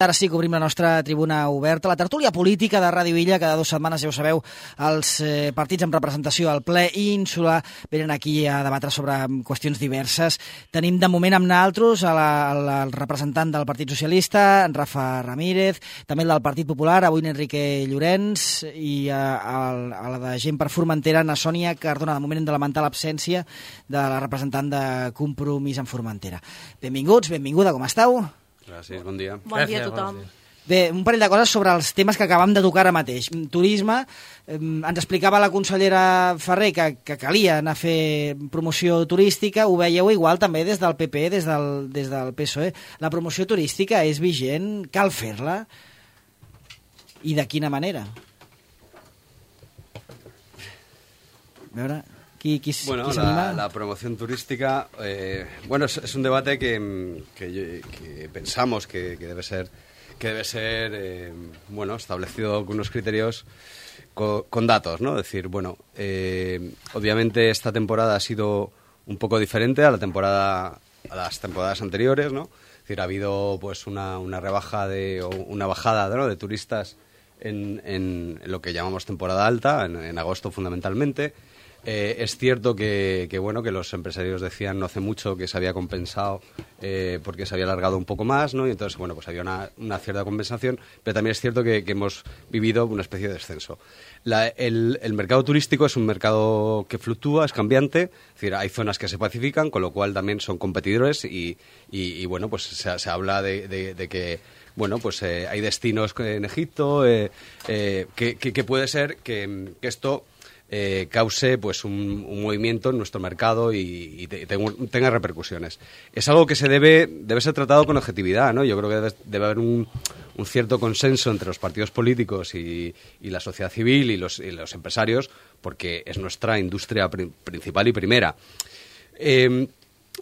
Ara sí que obrim la nostra tribuna oberta, la tertúlia política de Ràdio Illa. Cada 2 setmanes, ja ho sabeu, els partits amb representació al ple Ínsula venen aquí a debatre sobre qüestions diverses. Tenim de moment amb naltros el representant del Partit Socialista, en Rafa Ramírez, també el del Partit Popular, avui en Enrique Llorens, i a la de Gent per Formentera, na Sònia Cardona. De moment hem de lamentar l'absència de la representant de Compromís en Formentera. Benvinguts, benvinguda, com esteu? Gràcies, bon dia. Bon dia a tothom. Bé, un parell de coses sobre els temes que acabam de tocar ara mateix. Turisme, ens explicava la consellera Ferrer que calia anar a fer promoció turística. Ho veieu igual també des del PP, des del PSOE. La promoció turística és vigent, cal fer-la? I de quina manera? A veure... Bueno, la promoción turística, es un debate que pensamos que debe ser establecido con unos criterios con datos, ¿no? Es decir, obviamente esta temporada ha sido un poco diferente a las temporadas anteriores, ¿no? Es decir, ha habido pues una rebaja o una bajada, ¿no?, de turistas en lo que llamamos temporada alta, en agosto fundamentalmente. Es cierto que los empresarios decían no hace mucho que se había compensado porque se había alargado un poco más, ¿no? Y entonces, pues había una cierta compensación, pero también es cierto que hemos vivido una especie de descenso. El mercado turístico es un mercado que fluctúa, es cambiante, es decir, hay zonas que se pacifican, con lo cual también son competidores y se habla de que hay destinos en Egipto que puede ser que esto cause pues un movimiento en nuestro mercado y tenga repercusiones. Es algo que debe ser tratado con objetividad, ¿no? Yo creo que debe haber un cierto consenso entre los partidos políticos y la sociedad civil y los empresarios, porque es nuestra industria principal y primera.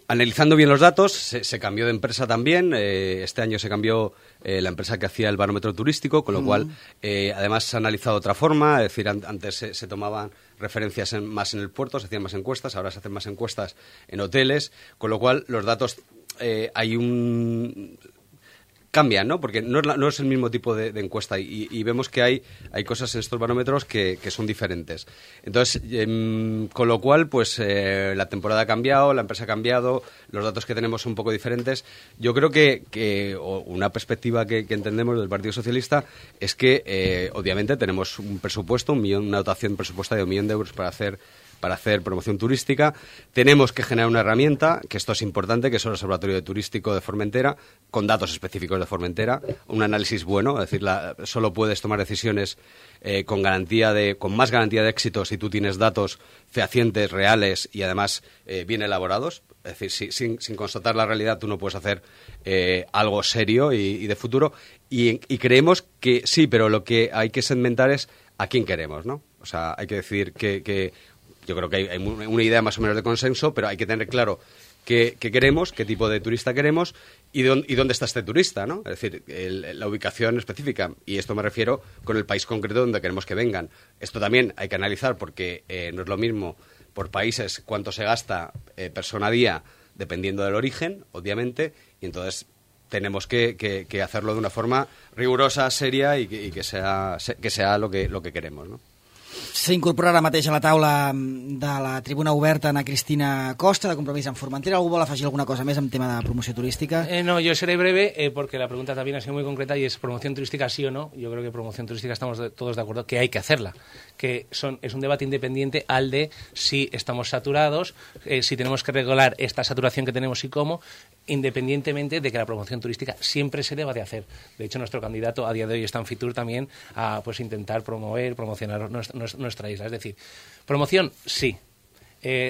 Analizando bien los datos, se cambió de empresa también. Este año se cambió la empresa que hacía el barómetro turístico, con lo cual, además, se ha analizado de otra forma. Es decir, antes se tomaban referencias más en el puerto, se hacían más encuestas, ahora se hacen más encuestas en hoteles, con lo cual los datos cambian, ¿no? Porque no es el mismo tipo de encuesta y vemos que hay cosas en estos barómetros que son diferentes. Entonces, con lo cual, pues la temporada ha cambiado, la empresa ha cambiado, los datos que tenemos son un poco diferentes. Yo creo que una perspectiva que entendemos del Partido Socialista es que, obviamente, tenemos un presupuesto, una dotación presupuestaria de 1 millón de euros para hacer promoción turística. Tenemos que generar una herramienta, que esto es importante, que es el Observatorio Turístico de Formentera, con datos específicos de Formentera, un análisis bueno, es decir, solo puedes tomar decisiones con más garantía de éxito si tú tienes datos fehacientes, reales y además bien elaborados. Es decir, sin constatar la realidad tú no puedes hacer algo serio y de futuro. Y creemos que sí, pero lo que hay que segmentar es a quién queremos, ¿no? O sea, hay que decidir que yo creo que hay una idea más o menos de consenso, pero hay que tener claro qué queremos, qué tipo de turista queremos y dónde está este turista, ¿no? Es decir, la ubicación específica. Y esto me refiero con el país concreto donde queremos que vengan. Esto también hay que analizar porque no es lo mismo por países cuánto se gasta persona a día dependiendo del origen, obviamente, y entonces tenemos que hacerlo de una forma rigurosa, seria y que sea lo que queremos, ¿no? S'incorpora ara mateix a la taula de la tribuna oberta Ana Cristina Costa, de Compromís en Formentera. ¿Algú vol afegir alguna cosa més en tema de promoció turística? No, yo seré breve porque la pregunta también ha sido muy concreta y es promoción turística sí o no. Yo creo que promoción turística estamos todos de acuerdo que hay que hacerla, que es un debate independiente al de si estamos saturados, si tenemos que regular esta saturación que tenemos y cómo, independientemente de que la promoción turística siempre se deba de hacer. De hecho, nuestro candidato a día de hoy está en Fitur también a intentar promocionar nuestra isla. Es decir, promoción sí,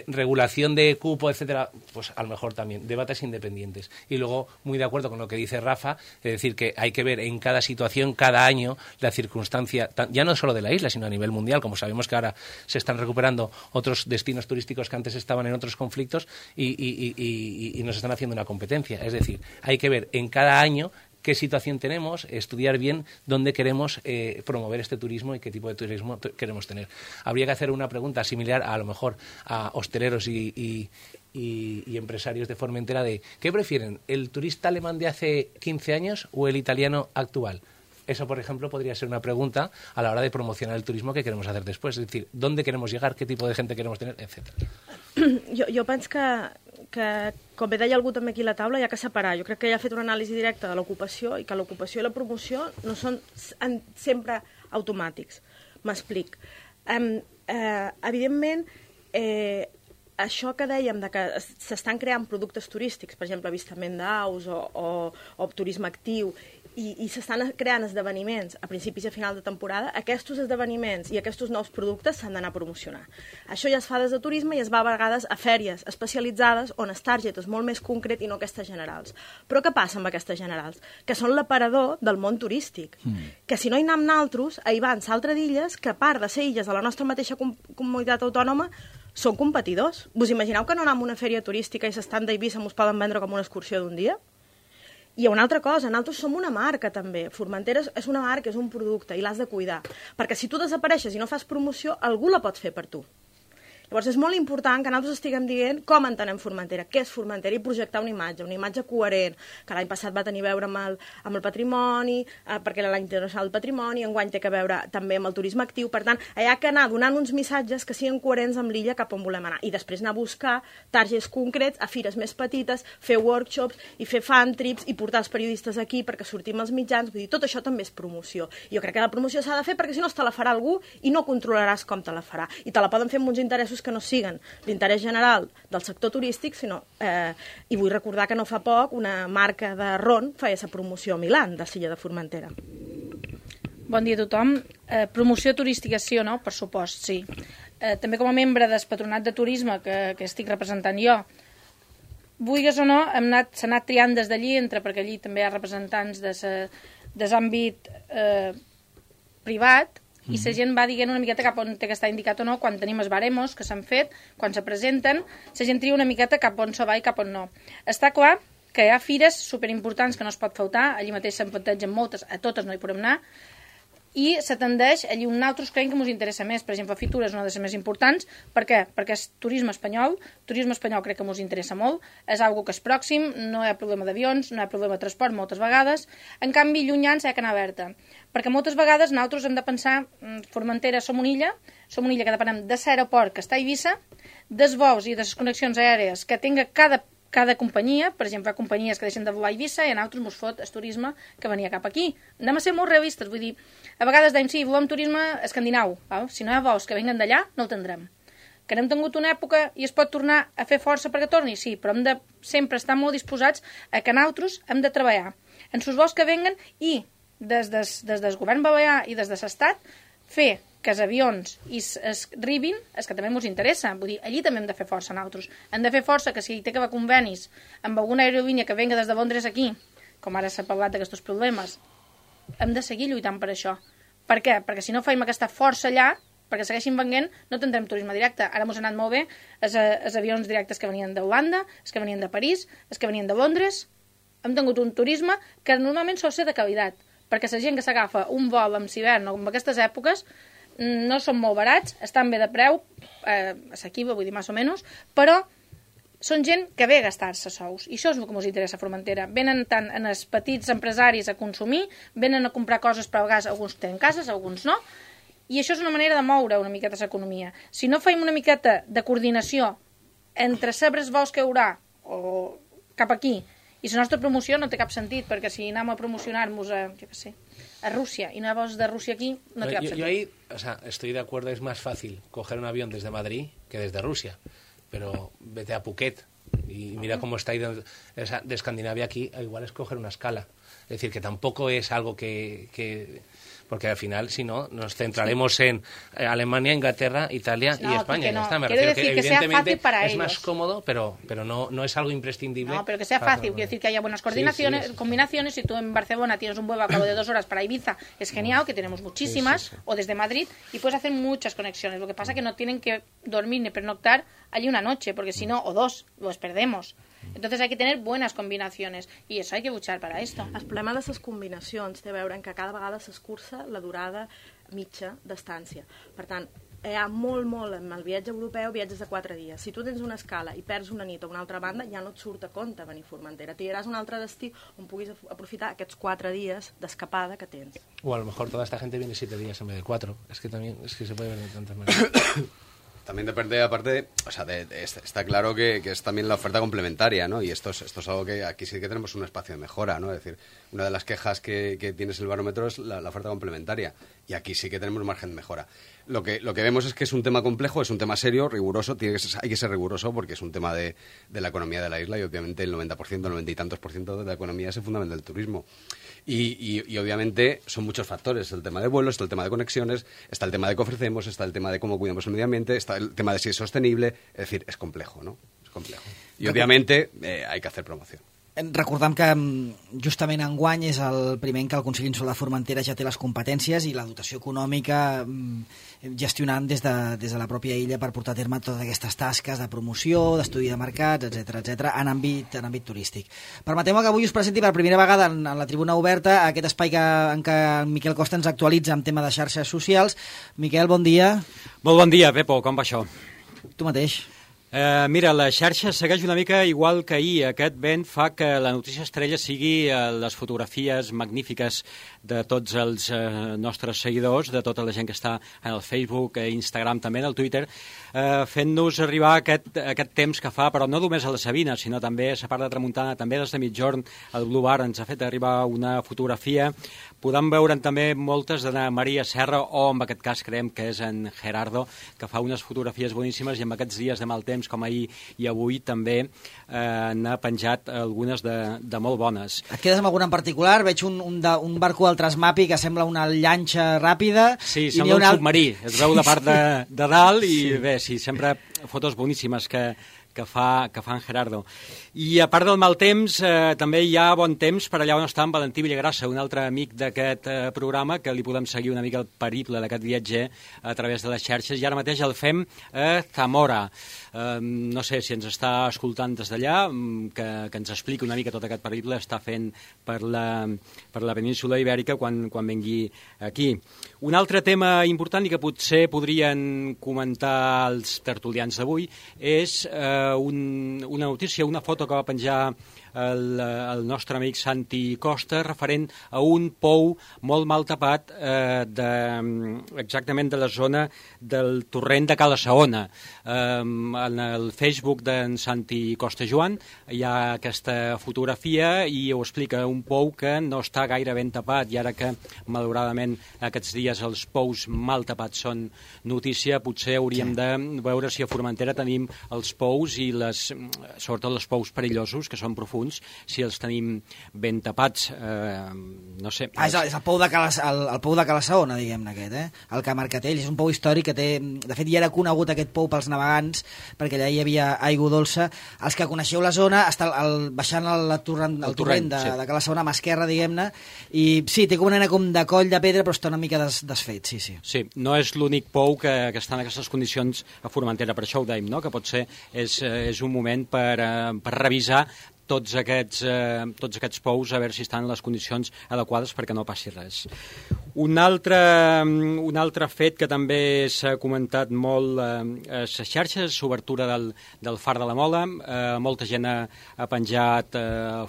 regulación de cupo, etcétera, pues a lo mejor también, debates independientes. Y luego, muy de acuerdo con lo que dice Rafa, es decir, que hay que ver en cada situación, cada año, la circunstancia, ya no solo de la isla, sino a nivel mundial, como sabemos que ahora se están recuperando otros destinos turísticos que antes estaban en otros conflictos y nos están haciendo una competencia. Es decir, hay que ver en cada año qué situación tenemos, estudiar bien dónde queremos promover este turismo y qué tipo de turismo queremos tener. Habría que hacer una pregunta similar a lo mejor a hosteleros y y empresarios de Formentera de ¿qué prefieren? ¿El turista alemán de hace 15 años o el italiano actual? Eso, por ejemplo, podría ser una pregunta a la hora de promocionar el turismo que queremos hacer después. Es decir, ¿dónde queremos llegar? ¿Qué tipo de gente queremos tener? Etcétera. Jo penso que, com bé deia algú també aquí a la taula, hi ha que separar. Jo crec que ja ha fet una anàlisi directa de l'ocupació i que l'ocupació i la promoció no són sempre automàtics. M'explic. Evidentment, això que dèiem de que s'estan creant productes turístics, per exemple, avistament d'aus o turisme actiu, i s'estan creant esdeveniments a principis i a final de temporada, aquests esdeveniments i aquests nous productes s'han d'anar a promocionar. Això ja es fa des de turisme i es va a vegades a fèries especialitzades on el target és molt més concret i no aquestes generals. Però què passa amb aquestes generals? Que són l'aparador del món turístic. Que si no hi anem naltros, hi van s'altres illes que, a part de ser illes de la nostra mateixa comunitat autònoma, són competidors. Vos imagineu que no anem a una fèria turística i s'estan d'Eivissa mos poden vendre com una excursió d'un dia? I hi ha una altra cosa, nosaltres som una marca també. Formentera és una marca, és un producte i l'has de cuidar. Perquè si tu desapareixes i no fas promoció, algú la pot fer per tu. Llavors és molt important que nosaltres estiguem dient com entenem Formentera, què és Formentera i projectar una imatge coherent, que l'any passat va tenir a veure amb el patrimoni, perquè era l'any internacional del patrimoni, enguany té a veure també amb el turisme actiu, per tant, hi ha que anar donant uns missatges que siguin coherents amb l'illa cap on volem anar, i després anar a buscar targets concrets a fires més petites, fer workshops i fer fan trips i portar els periodistes aquí perquè sortim als mitjans, vull dir, tot això també és promoció. Jo crec que la promoció s'ha de fer perquè si no te la farà algú i no controlaràs com te la farà, i te la poden fer amb uns interessos que no siguen l'interès general del sector turístic, sinó, i vull recordar que no fa poc una marca de ron feia esa promoció a Milán, de l'illa de Formentera. Bon dia a tothom. Promoció turística sí o no? Per supost, sí. També com a membre del Patronat de Turisme que estic representant jo, vulguis o no, s'ha anat triant des d'allí, perquè allí també hi ha representants de l'àmbit privat, i la gent va dient una miqueta cap on té que estar indicat o no, quan tenim els baremos que s'han fet, quan se presenten, la gent tria una miqueta cap on se va i cap on no. Està clar que hi ha fires superimportants que no es pot faltar, allí mateix se'n plantegen moltes, a totes no hi podem anar, i se tendeix allí on nosaltres creiem que ens interessa més. Per exemple, Fitura és una de les més importants. Per què? Perquè és turisme espanyol crec que ens interessa molt, és algo que és pròxim, no hi ha problema d'avions, no hi ha problema de transport moltes vegades, en canvi llunyans hi ha que anar alerta, perquè moltes vegades nosaltres hem de pensar, Formentera som una illa que depenem de l'aeroport que està a Eivissa, dels vols i de les connexions aèries que tinga cada companyia, per exemple, companyies que deixen de volar a Eivissa i a nosaltres ens fot el turisme que venia cap aquí. Anem a ser molt realistes, vull dir, a vegades dèiem, sí, volem turisme escandinau, val? Si no hi ha vols que venguen d'allà, no el tindrem. Que n'hem tingut una època i es pot tornar a fer força perquè torni, sí, però hem de sempre estar molt disposats a que nosaltres hem de treballar en els vols que venguen i des del govern balear i des de l'Estat fer que els avions es arribin, és que també ens interessa. Vull dir, allí també hem de fer força nosaltres. Hem de fer força que si hi té que haver convenis amb alguna aerolínia que venga des de Londres aquí, com ara s'ha parlat d'aquests problemes, hem de seguir lluitant per això. Per què? Perquè si no fem aquesta força allà, perquè segueixin venent, no tindrem turisme directe. Ara m'ho ha anat molt bé els avions directes que venien d'Holanda, els que venien de París, els que venien de Londres. Hem tingut un turisme que normalment sol ser de qualitat, perquè la gent que s'agafa un vol amb hivern o amb aquestes èpoques no són molt barats, estan bé de preu, assequible, vull dir, més o menys, però són gent que ve a gastar-se sous. I això és el que ens interessa a Formentera. Venen tant en els petits empresaris a consumir, venen a comprar coses per a vegades, alguns tenen cases, alguns no, i això és una manera de moure una miqueta l'economia. Si no fem una miqueta de coordinació entre saber els vols que hi haurà o cap aquí i la nostra promoció, no té cap sentit, perquè si anem a promocionar-nos a Rusia y no vols de Rusia aquí, no te da sentido. Yo ahí, estoy de acuerdo, es más fácil coger un avión desde Madrid que desde Rusia, pero vete a Phuket y mira cómo está ahí de Escandinavia aquí, igual es coger una escala. Es decir, que tampoco es algo que porque al final, si no, nos centraremos en Alemania, Inglaterra, Italia y España. No. Está. Me Quiero refiero decir que sea fácil para es ellos. más cómodo, pero no es algo imprescindible. No, pero que sea fácil. Quiero decir que haya buenas combinaciones. Si tú en Barcelona tienes un vuelo a cabo de 2 horas para Ibiza, es genial, que tenemos muchísimas, o desde Madrid, y puedes hacer muchas conexiones. Lo que pasa es que no tienen que dormir ni pernoctar allí una noche, porque si no, o 2, los perdemos. Entonces hay que tener buenas combinaciones y eso hay que luchar para esto. El problema de les combinacions té a veure en que cada vegada s'escurça la durada mitja d'estància. Per tant, hi ha molt, amb el viatge europeu, viatges de 4 dies. Si tu tens una escala i perds una nit a una altra banda, ja no et surt a compte venir a Formentera. T'iràs a un altre destí on puguis aprofitar aquests 4 dies d'escapada que tens. O a lo mejor toda esta gente viene 7 días en vez de 4. Es que también se puede ver de tantas maneras. También depende, aparte, o sea, está claro que es también la oferta complementaria, ¿no? Y esto es algo que aquí sí que tenemos un espacio de mejora, ¿no? Es decir, una de las quejas que tienes el barómetro es la oferta complementaria. Y aquí sí que tenemos margen de mejora. Lo que vemos es que es un tema complejo, es un tema serio, riguroso, hay que ser riguroso porque es un tema de la economía de la isla y obviamente el 90%, 90 y tantos % de la economía se fundamenta en el turismo. Y obviamente son muchos factores. El tema de vuelos, está el tema de conexiones, está el tema de qué ofrecemos, está el tema de cómo cuidamos el medio ambiente, está el tema de si es sostenible. Es decir, es complejo, ¿no? Es complejo. Y obviamente hay que hacer promoción. Recordem que justament enguany és el primer en què el Consell Insular de Formentera ja té les competències i la dotació econòmica gestionant des de la pròpia illa per portar a terme totes aquestes tasques de promoció, d'estudi de mercats, etc en àmbit turístic. Permeteu-me que avui us presenti per primera vegada en la tribuna oberta aquest espai en què en Miquel Costa ens actualitza en tema de xarxes socials. Miquel, bon dia. Molt bon dia, Pepo, com va això? Tu mateix. Mira, la xarxa segueix una mica igual que ahir. Aquest vent fa que la notícia estrella sigui les fotografies magnífiques de tots els nostres seguidors, de tota la gent que està en el Facebook, Instagram, també en el Twitter, fent-nos arribar aquest temps que fa, però no només a la Sabina, sinó també a la part de tramuntana, també des de mitjorn, el Blue Bar ens ha fet arribar una fotografia. Podem veure'n també moltes de Maria Serra, o en aquest cas creiem que és en Gerardo, que fa unes fotografies boníssimes i en aquests dies de mal temps com ahir i avui també n'ha penjat algunes de molt bones. Et quedes amb alguna en particular? Veig un barco del Transmapi que sembla una llanxa ràpida. Sí, sembla un submarí. Es veu la part de dalt i bé, sí, sempre fotos boníssimes que fa en Gerardo. I a part del mal temps, també hi ha bon temps per allà on està en Valentí Villagrassa, un altre amic d'aquest programa, que li podem seguir una mica el periple d'aquest viatger a través de les xarxes, i ara mateix el fem a Zamora. No sé si ens està escoltant des d'allà, que ens expliqui una mica tot aquest periple està fent per la península Ibèrica quan vengui aquí. Un altre tema important i que potser podrien comentar els tertulians d'avui és una notícia, una foto que va penjar el nostre amic Santi Costa referent a un pou molt mal tapat exactament de la zona del torrent de Cala Saona. En el Facebook d'en Santi Costa Joan hi ha aquesta fotografia i ho explica, un pou que no està gaire ben tapat, i ara que malauradament aquests dies els pous mal tapats són notícia, potser hauríem de veure si a Formentera tenim els pous i sobretot els pous perillosos, que són profunds, si els tenim ben tapats, no sé. És el pou de Cala Saona, diguem-ne, aquest, el Camarcatell. És un pou històric que té... De fet, ja era conegut aquest pou pels navegants, perquè allà hi havia aigua dolça. Els que coneixeu la zona, baixant el torrent de Cala Saona, a mà esquerra, diguem-ne, i sí, té com una mena de coll de pedra, però està una mica desfet, sí. Sí, no és l'únic pou que està en aquestes condicions a Formentera, per això ho dèiem, no? Que potser és un moment per revisar tots aquests pous, a veure si estan en les condicions adequades perquè no passi res. Un altre fet que també s'ha comentat molt a les xarxes és l'obertura del Far de la Mola. Molta gent ha penjat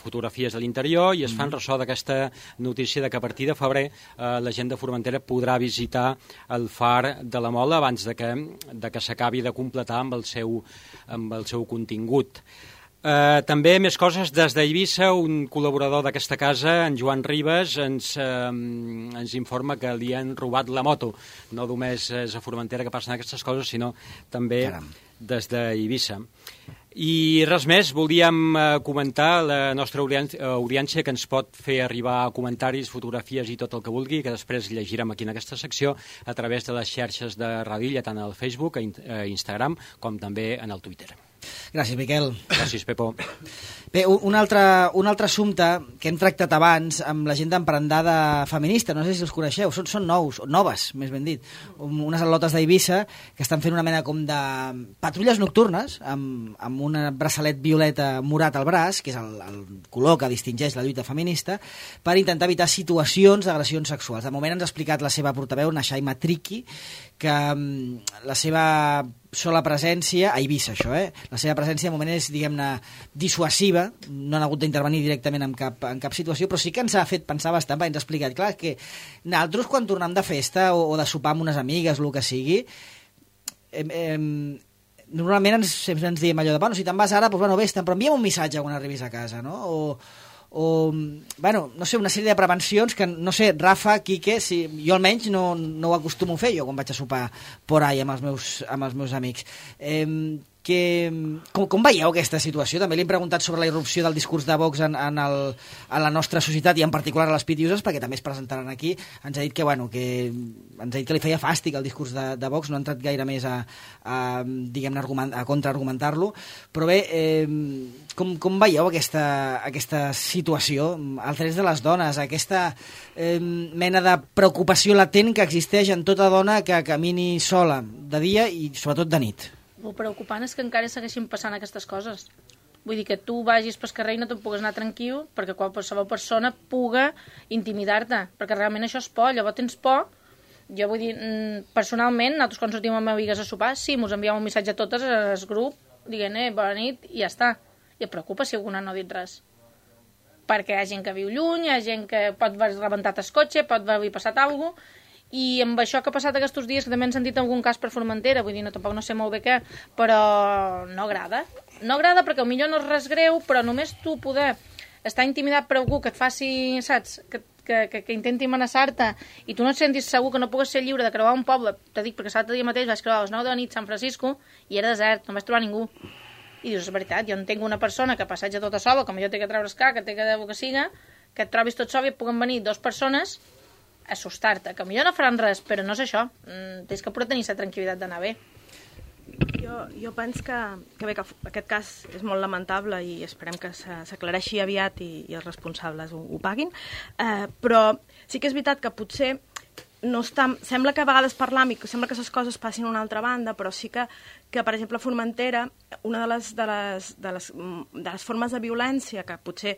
fotografies de l'interior i es fan ressò d'aquesta notícia de que a partir de febrer la gent de Formentera podrà visitar el Far de la Mola abans de que s'acabi de completar amb el seu contingut. També més coses des d'Eivissa. Un col·laborador d'aquesta casa, en Joan Ribas, ens informa que li han robat la moto. No només és a Formentera que passen aquestes coses, sinó també des d'Eivissa. I res més, volíem comentar la nostra audiència, que ens pot fer arribar comentaris, fotografies i tot el que vulgui, que després llegirem aquí en aquesta secció a través de les xarxes de Ràdio Illa, tant al Facebook, a Instagram, com també en el Twitter. Gràcies, Miquel. Gràcies, Pepo. Bé, un altre assumpte que hem tractat abans amb la gent d'Emprendada Feminista, no sé si els coneixeu, són noves, més ben dit, unes atlotes d'Eivissa que estan fent una mena com de patrulles nocturnes amb un braçalet violeta morat al braç, que és el color que distingeix la lluita feminista, per intentar evitar situacions d'agressions sexuals. De moment ens ha explicat la seva portaveu, Nashaima Triki, que la seva sola presència, a Eivissa això, la seva presència de moment és, diguem-ne, dissuasiva, no han hagut d'intervenir directament en cap situació, però sí que ens ha fet pensar bastant, perquè ens ha explicat, clar, que nosaltres quan tornem de festa o de sopar amb unes amigues, el que sigui, normalment sempre ens diem allò de, bueno, si te'n vas ara, doncs, bueno, vés-te'n, però enviem un missatge quan arribis a casa, no? O bueno, no sé, una sèrie de prevencions que, no sé, Rafa, Quique, si, jo almenys no ho acostumo a fer jo quan vaig a sopar por ahí amb els meus amics. Com veieu aquesta situació? També li hem preguntat sobre la irrupció del discurs de Vox en la nostra societat i en particular a les pitiuses, perquè també es presentaran aquí. Ens ha dit que li feia fàstic el discurs de Vox, no ha entrat gaire més diguem-ne, a contraargumentar-lo. Però bé, com veieu aquesta situació, els drets de les dones, aquesta mena de preocupació latent que existeix en tota dona que camini sola, de dia i sobretot de nit? El preocupant és que encara segueixin passant aquestes coses. Vull dir que tu vagis pel carrer i no te'n pugues anar tranquil perquè qualsevol persona puga intimidar-te, perquè realment això és por, llavors tens por. Jo vull dir, personalment, nosaltres quan sortim amb amigues a sopar, sí, mos enviem un missatge a totes al grup, dient, bona nit, i ja està. I et preocupa si alguna no ha dit res. Perquè hi ha gent que viu lluny, hi ha gent que pot haver rebentat el cotxe, pot haver passat alguna cosa, i amb això que ha passat aquests dies, que també han sentit algun cas per Formentera, vull dir, tampoc no sé molt bé què, però no agrada. No agrada perquè potser no és res greu, però només tu poder estar intimidat per algú que et faci, saps, que intenti amenaçar-te i tu no et sentis segur, que no pugues ser lliure de creuar un poble. Te dic perquè l'altre dia mateix vaig creuar a les 9 de la nit San Francisco i era desert, no vaig trobar ningú. I dius, és veritat, jo entenc una persona que passeja tota sola, com jo té que treure escar, que té que siga, que et trobis tot sol i et puguen venir 2 persones assustar-te, que millor no faran res, però no és això. Tens que poder tenir la tranquil·litat d'anar bé. Jo penso que bé, que aquest cas és molt lamentable i esperem que s'aclareixi aviat i els responsables ho paguin, però sí que és veritat que potser no està, sembla que a vegades parlam i sembla que les coses passin a una altra banda, però sí que per exemple, a Formentera, una de les formes de violència que potser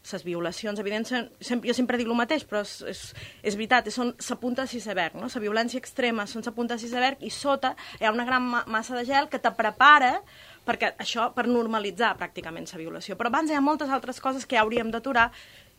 les violacions, evidentment, jo sempre dic el mateix, però és veritat, són la punta de l'iceberg, no? La violència extrema són la punta de l'iceberg i sota hi ha una gran massa de gel que te prepara per normalitzar pràcticament la violació. Però abans hi ha moltes altres coses que ja hauríem d'aturar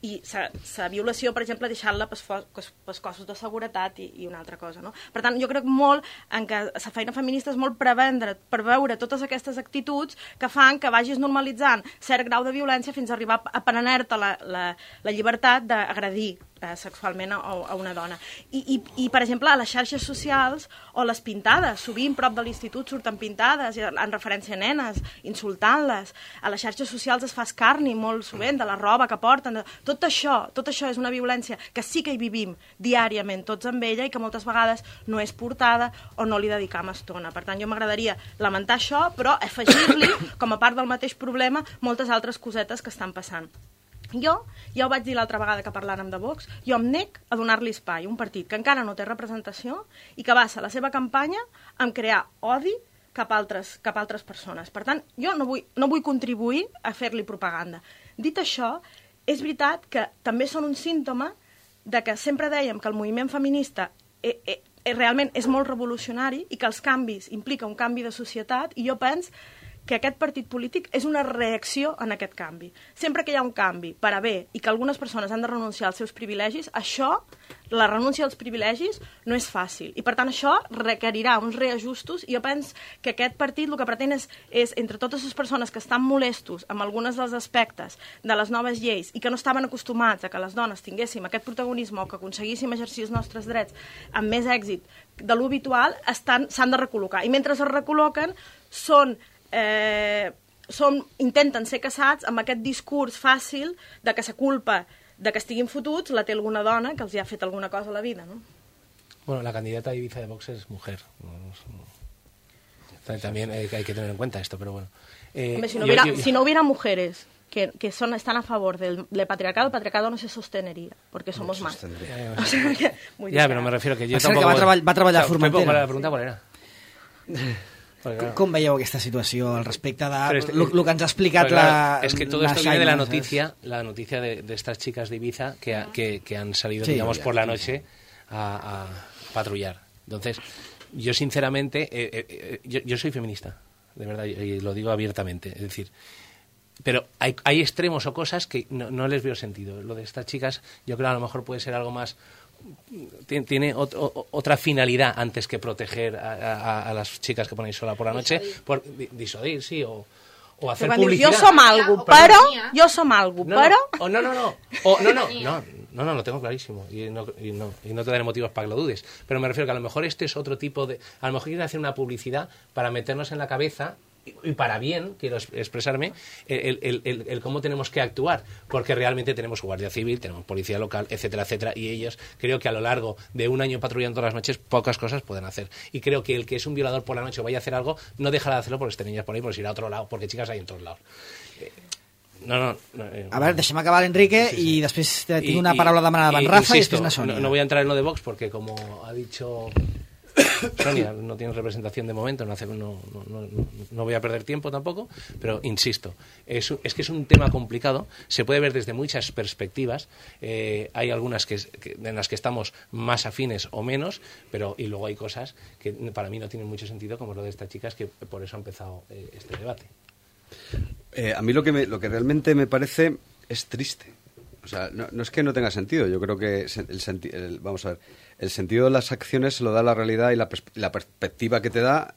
i la violació, per exemple, deixar-la pels cossos de seguretat i una altra cosa, no? Per tant, jo crec molt en que la feina feminista és molt preveure totes aquestes actituds que fan que vagis normalitzant cert grau de violència fins a arribar a prendre-te la llibertat d'agredir sexualment a una dona. I, per exemple, a les xarxes socials o les pintades, sovint prop de l'institut surten pintades en referència a nenes, insultant-les. A les xarxes socials es fa escarni molt sovint de la roba que porten. Tot això és una violència que sí que hi vivim diàriament tots amb ella i que moltes vegades no és portada o no li dedicam estona. Per tant, jo m'agradaria lamentar això, però afegir-li, com a part del mateix problema, moltes altres cosetes que estan passant. Jo, ja ho vaig dir l'altra vegada que parlàrem de Vox, jo em nec a donar-li espai a un partit que encara no té representació i que basa la seva campanya en crear odi cap a altres persones. Per tant, jo no vull contribuir a fer-li propaganda. Dit això, és veritat que també són un símptoma de que sempre dèiem que el moviment feminista realment és molt revolucionari i que els canvis implica un canvi de societat i jo penso que aquest partit polític és una reacció en aquest canvi. Sempre que hi ha un canvi per a bé i que algunes persones han de renunciar als seus privilegis, la renúncia als privilegis no és fàcil. I per tant això requerirà uns reajustos i jo penso que aquest partit el que pretén és entre totes les persones que estan molestos amb alguns dels aspectes de les noves lleis i que no estaven acostumats a que les dones tinguéssim aquest protagonisme o que aconseguíssim exercir els nostres drets amb més èxit de l'habitual, s'han de recol·locar. I mentre es recol·loquen intenten ser caçats amb aquest discurs fàcil de que la culpa de que estiguin fotuts la té alguna dona que els ha fet alguna cosa a la vida, ¿no? Bueno, la candidata de Ibiza de Vox es mujer. También hay que tener en cuenta esto, pero bueno. Hombre, si no hubiera mujeres que están a favor del patriarcado, el patriarcado no se sostendría, porque somos más. O sea, ya, pero me refiero que yo tampoco... Va treballar a Formentera. La pregunta qual era? Com veieu aquesta situació al respecte de lo que ens ha explicat es que todo esto viene de la noticia de estas chicas de Ibiza que han salido, digamos, por la noche a patrullar. Entonces, yo sinceramente, yo soy feminista, de verdad, y lo digo abiertamente, es decir, pero hay extremos o cosas que no les veo sentido. Lo de estas chicas, yo creo que a lo mejor puede ser algo más... Tiene otra finalidad antes que proteger a las chicas que ponéis sola por la noche, por disuadir, sí, o hacer publicidad. Jo som algo, però... Jo som algo, però... No, lo tengo clarísimo y no te daré motivos para que lo dudes. Pero me refiero que a lo mejor este es otro tipo de... A lo mejor quieren hacer una publicidad para meternos en la cabeza, y para bien, quiero expresarme, el cómo tenemos que actuar, porque realmente tenemos Guardia Civil, tenemos Policía Local, etcétera, etcétera, y ellos creo que a lo largo de un año patrullando todas las noches, pocas cosas pueden hacer. Y creo que el que es un violador por la noche o vaya a hacer algo, no dejará de hacerlo porque estén niñas por ahí, por ir a otro lado, porque chicas hay en todos lados. A ver, deixem acabar l'Enrique i després tinc una paraula demanada d'en Rafa i després una Sònia. No voy a entrar en lo de Vox porque, como ha dicho Sonia, no tiene representación de momento, no voy a perder tiempo tampoco, pero insisto, es que es un tema complicado, se puede ver desde muchas perspectivas, hay algunas en las que estamos más afines o menos, y luego hay cosas que para mí no tienen mucho sentido, como lo de estas chicas, que por eso ha empezado este debate. A mí lo que realmente me parece es triste. O sea, no es que no tenga sentido. Yo creo que vamos a ver, el sentido de las acciones se lo da la realidad y la perspectiva que te da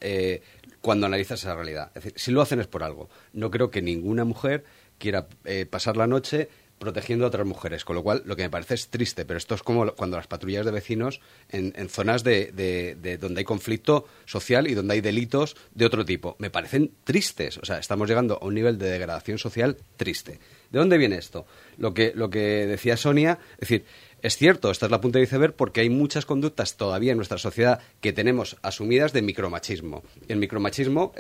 cuando analizas esa realidad. Es decir, si lo hacen es por algo. No creo que ninguna mujer quiera pasar la noche protegiendo a otras mujeres, con lo cual lo que me parece es triste, pero esto es como cuando las patrullas de vecinos en zonas de donde hay conflicto social y donde hay delitos de otro tipo. Me parecen tristes, o sea, estamos llegando a un nivel de degradación social triste. ¿De dónde viene esto? Lo que decía Sonia, es decir, es cierto, esta es la punta de iceberg porque hay muchas conductas todavía en nuestra sociedad que tenemos asumidas de micromachismo. Y el micromachismo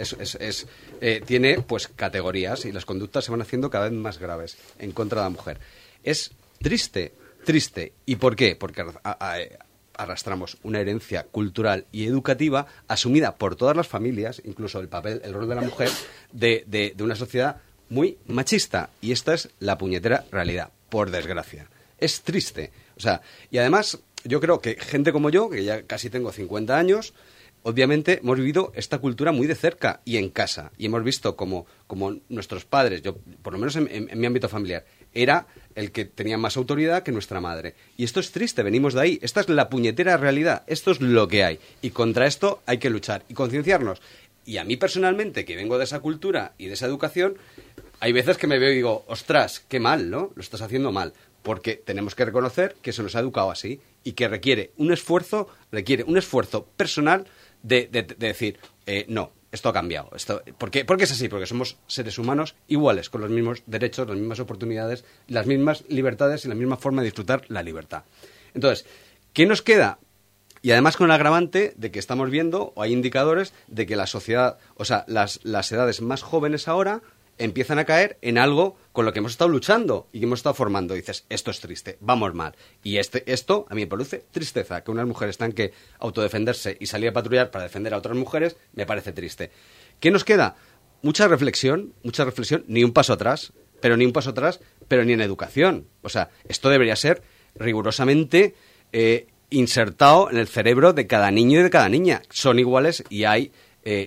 tiene pues categorías y las conductas se van haciendo cada vez más graves en contra de la mujer. Es triste. ¿Y por qué? Porque arrastramos una herencia cultural y educativa asumida por todas las familias, incluso el rol de la mujer, de una sociedad muy machista. Y esta es la puñetera realidad, por desgracia. Es triste. O sea, y además, yo creo que gente como yo, que ya casi tengo 50 años, obviamente hemos vivido esta cultura muy de cerca y en casa. Y hemos visto como nuestros padres, yo por lo menos en mi ámbito familiar, era el que tenía más autoridad que nuestra madre. Y esto es triste, venimos de ahí. Esta es la puñetera realidad. Esto es lo que hay. Y contra esto hay que luchar y concienciarnos. Y a mí personalmente, que vengo de esa cultura y de esa educación, hay veces que me veo y digo, ostras, qué mal, ¿no? Lo estás haciendo mal. Porque tenemos que reconocer que se nos ha educado así y que requiere un esfuerzo personal de decir, no, esto ha cambiado. ¿Por qué es así? Porque somos seres humanos iguales, con los mismos derechos, las mismas oportunidades, las mismas libertades y la misma forma de disfrutar la libertad. Entonces, ¿qué nos queda? Y además con el agravante de que estamos viendo, o hay indicadores, de que la sociedad, o sea, las edades más jóvenes ahora empiezan a caer en algo con lo que hemos estado luchando y que hemos estado formando. Y dices, esto es triste, vamos mal. Y esto a mí me produce tristeza, que unas mujeres tengan que autodefenderse y salir a patrullar para defender a otras mujeres, me parece triste. ¿Qué nos queda? Mucha reflexión, ni un paso atrás, pero ni en educación. O sea, esto debería ser rigurosamente insertado en el cerebro de cada niño y de cada niña. Son iguales y hay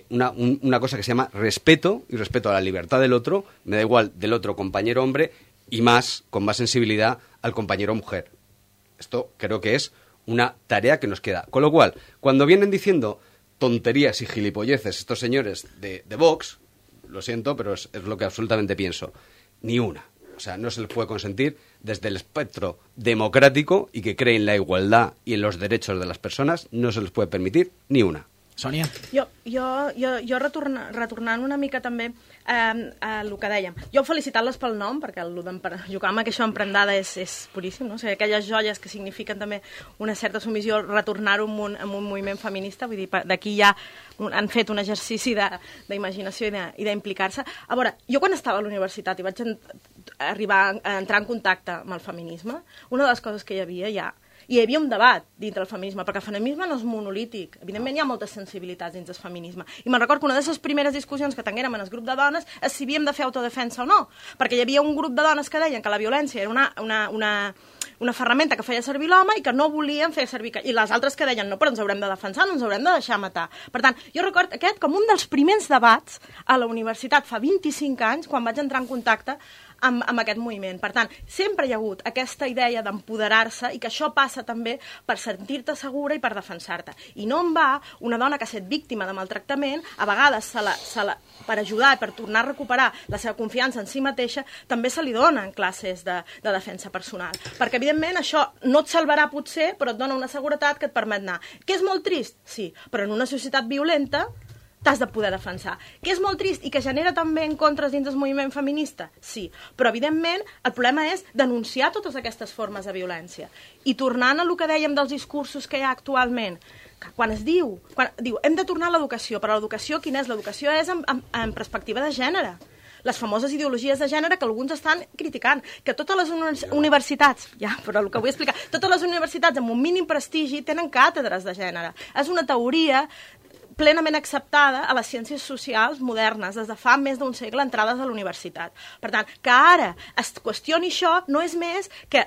una cosa que se llama respeto, y respeto a la libertad del otro, me da igual del otro compañero hombre, y con más sensibilidad al compañero mujer. Esto creo que es una tarea que nos queda. Con lo cual, cuando vienen diciendo tonterías y gilipolleces estos señores de Vox, lo siento, pero es lo que absolutamente pienso. Ni una. O sea, no se les puede consentir desde el espectro democrático y que cree en la igualdad y en los derechos de las personas, no se les puede permitir ni una. Sònia? Jo retornant una mica també a el que dèiem. Jo felicitant-les pel nom, perquè jugar amb aquesta emprendada és puríssim, no? O sigui, aquelles joies que signifiquen també una certa submissió, retornar-ho en un moviment feminista, vull dir, d'aquí ja han fet un exercici d'imaginació i d'implicar-se. A veure, jo quan estava a la universitat i vaig arribar a entrar en contacte amb el feminisme, una de les coses que hi havia hi havia un debat dintre del feminisme, perquè el feminisme no és monolític. Evidentment hi ha moltes sensibilitats dins del feminisme. I me'n recordo que una de les primeres discussions que tinguérem en el grup de dones és si havíem de fer autodefensa o no, perquè hi havia un grup de dones que deien que la violència era una ferramenta que feia servir l'home i que no volien fer servir... I les altres que deien, no, però ens haurem de defensar, no ens haurem de deixar matar. Per tant, jo recordo aquest com un dels primers debats a la universitat fa 25 anys, quan vaig entrar en contacte amb aquest moviment. Per tant, sempre hi ha hagut aquesta idea d'empoderar-se i que això passa també per sentir-te segura i per defensar-te. I no en va una dona que ha estat víctima de maltractament, a vegades per ajudar i per tornar a recuperar la seva confiança en si mateixa, també se li donen classes de defensa personal. Perquè, evidentment, això no et salvarà potser, però et dona una seguretat que et permet anar. Que és molt trist? Sí, però en una societat violenta t'has de poder defensar. Que és molt trist i que genera també encontres dins del moviment feminista? Sí, però evidentment el problema és denunciar totes aquestes formes de violència. I tornant a el que dèiem dels discursos que hi ha actualment, que quan diu hem de tornar a l'educació, però l'educació quina és? L'educació és en perspectiva de gènere. Les famoses ideologies de gènere que alguns estan criticant, que totes les universitats, però el que vull explicar, totes les universitats amb un mínim prestigi tenen càtedres de gènere. És una teoria plenament acceptada a les ciències socials modernes, des de fa més d'un segle entrades a la universitat. Per tant, que ara es qüestioni això no és més que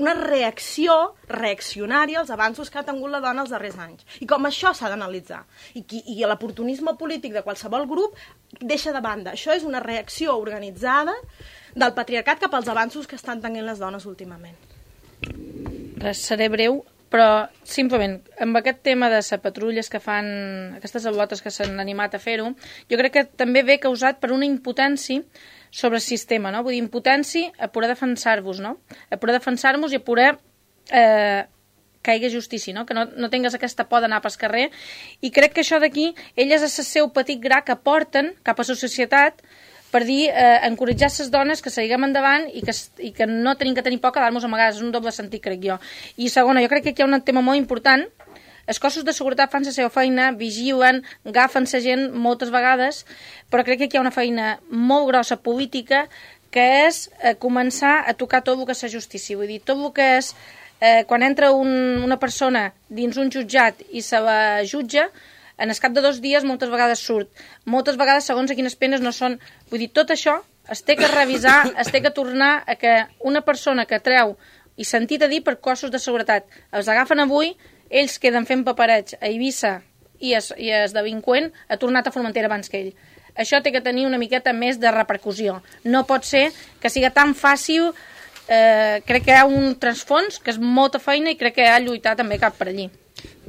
una reacció reaccionària als avanços que ha tingut la dona els darrers anys. I com això s'ha d'analitzar. I l'oportunisme polític de qualsevol grup deixa de banda. Això és una reacció organitzada del patriarcat cap als avanços que estan tenint les dones últimament. Seré breu, però simplement amb aquest tema de les patrulles que fan, aquestes al·lotes que s'han animat a fer-ho, jo crec que també ve causat per una impotència sobre el sistema, no? Vull dir, impotència a poder defensar-vos, no? A poder defensar-vos i a poder que hi hagi justícia, no? Que no tingues aquesta por d'anar pel carrer. I crec que això d'aquí, elles és el seu petit gra que porten cap a la societat per dir, encoratjar les dones que seguim endavant i que no tenim que tenir por a quedar-nos amagades. És un doble sentit, crec jo. I segona, jo crec que aquí hi ha un tema molt important. Els cossos de seguretat fan la seva feina, vigilen, agafen la gent moltes vegades, però crec que aquí hi ha una feina molt grossa política que és començar a tocar tot el que és la justícia. Vull dir, tot el que és quan entra una persona dins un jutjat i se la jutja, en el cap de 2 dies moltes vegades surt. Moltes vegades, segons a quines penes no són... Vull dir, tot això es té que revisar, es té que tornar a que una persona que treu, i sentit a dir per cossos de seguretat, els agafen avui, ells queden fent paperets a Eivissa i el delinqüent ha tornat a Formentera abans que ell. Això té que tenir una miqueta més de repercussió. No pot ser que siga tan fàcil. Crec que hi ha un transfons que és molta feina i crec que ha de lluitar també cap per allí.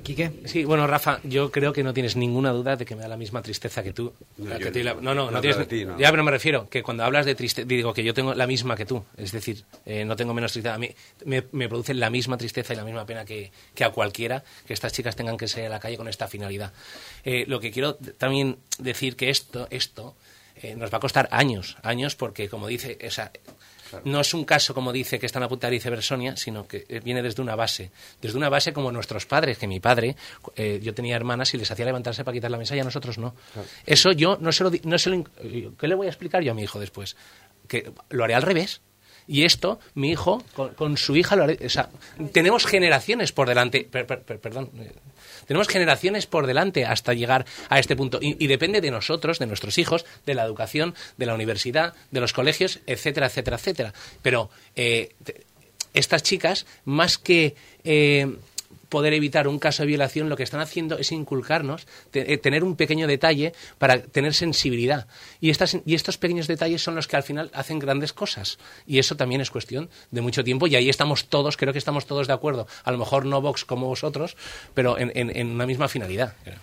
Quique. Sí, bueno, Rafa, yo creo que no tienes ninguna duda de que me da la misma tristeza que tú. No tienes. No. Ya, pero me refiero que cuando hablas de tristeza, digo que yo tengo la misma que tú. Es decir, no tengo menos tristeza. A mí me produce la misma tristeza y la misma pena que a cualquiera que estas chicas tengan que salir a la calle con esta finalidad. Lo que quiero también decir que esto nos va a costar años, porque como dice esa. Claro. No es un caso, como dice, que están a punta de iceberg Sonia, sino que viene desde una base como nuestros padres, que mi padre, yo tenía hermanas y les hacía levantarse para quitar la mesa y a nosotros no. Claro. Eso yo no se lo ¿qué le voy a explicar yo a mi hijo después? Que lo haré al revés. Y esto, mi hijo, con su hija, lo haré, o sea, tenemos generaciones por delante, tenemos generaciones por delante hasta llegar a este punto. Y depende de nosotros, de nuestros hijos, de la educación, de la universidad, de los colegios, etcétera, etcétera, etcétera. Pero estas chicas, más que poder evitar un caso de violación, lo que están haciendo es inculcarnos, tener un pequeño detalle para tener sensibilidad. Y estos pequeños detalles son los que al final hacen grandes cosas. Y eso también es cuestión de mucho tiempo. Y ahí estamos todos, creo que estamos todos de acuerdo. A lo mejor no Vox como vosotros, pero en una misma finalidad. Creo.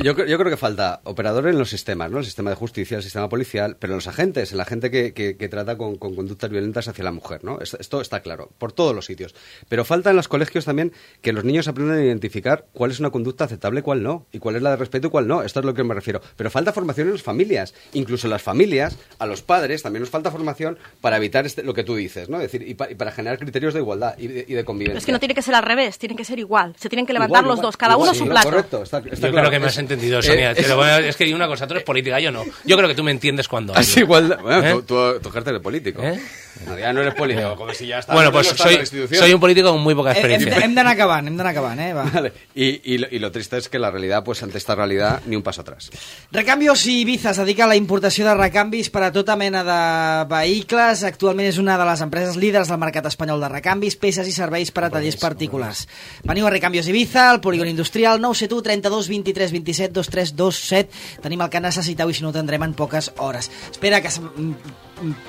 Yo creo que falta operadores en los sistemas, ¿no? El sistema de justicia, el sistema policial, pero los agentes, la gente que trata con conductas violentas hacia la mujer, ¿no? Esto está claro, por todos los sitios. Pero falta en los colegios también que los niños aprendan a identificar cuál es una conducta aceptable y cuál no, y cuál es la de respeto y cuál no. Esto es lo que me refiero. Pero falta formación en las familias. Incluso en las familias, a los padres también nos falta formación para evitar lo que tú dices, ¿no? Es decir, y para generar criterios de igualdad y de convivencia. Pero es que no tiene que ser al revés, tiene que ser igual. Se tienen que levantar los dos, cada uno su plato. Correcto, está Yo claro. creo que me has entendido, Sonia. Pero bueno, es que hay una cosa, tú eres política, yo no. Yo creo que tú me entiendes cuando hablo. Es igualdad. Bueno, tú ejerces de político. No, ya no eres político, como si ya estás... Bueno, pues soy un político con muy poca experiencia. Hem d'anar acabant, Va. Vale. Y lo triste es que la realidad, pues ante esta realidad, ni un paso atrás. Recambios i Ibiza es dedica a la importació de recanvis per a tota mena de vehicles. Actualment és una de les empreses líders del mercat espanyol de recanvis, peces i serveis per a tallers particulars. Veniu a Recambios Ibiza, al polígon industrial, 971 32 23 27 2327. Tenim el que necessiteu i si no ho tindrem en poques hores. Espera, que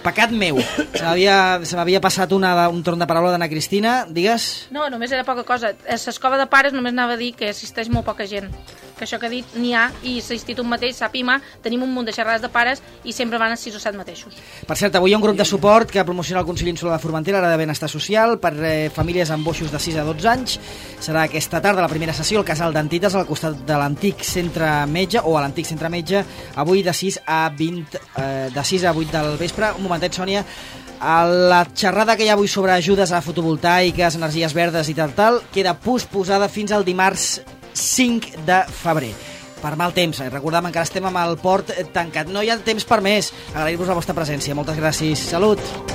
pecat meu. Se m'havia passat un torn de paraula d'Anna Cristina. Digues? No, només era poca cosa. A l'escova de pares només anava a dir que assisteix molt poca gent. Que això que ha dit n'hi ha, i l'institut mateix, SAPIMA, tenim un munt de xerrades de pares i sempre van a 6 o 7 mateixos. Per cert, avui hi ha un grup de suport que promociona el Consell Insular de Formentera, l'Àrea de Benestar Social, per famílies amb boixos de 6 a 12 anys. Serà aquesta tarda la primera sessió al Casal d'Antites, al costat de l'antic centre metge, o a l'antic centre metge, avui de 6 a 8 del vespre. Un momentet, Sònia. La xerrada que hi ha avui sobre ajudes a fotovoltaiques, energies verdes i tal, queda posposada fins al dimarts 5 de febrer. Per mal temps. Recordem, encara estem amb el port tancat. No hi ha temps per més. Agrair-vos la vostra presència. Moltes gràcies. Salut!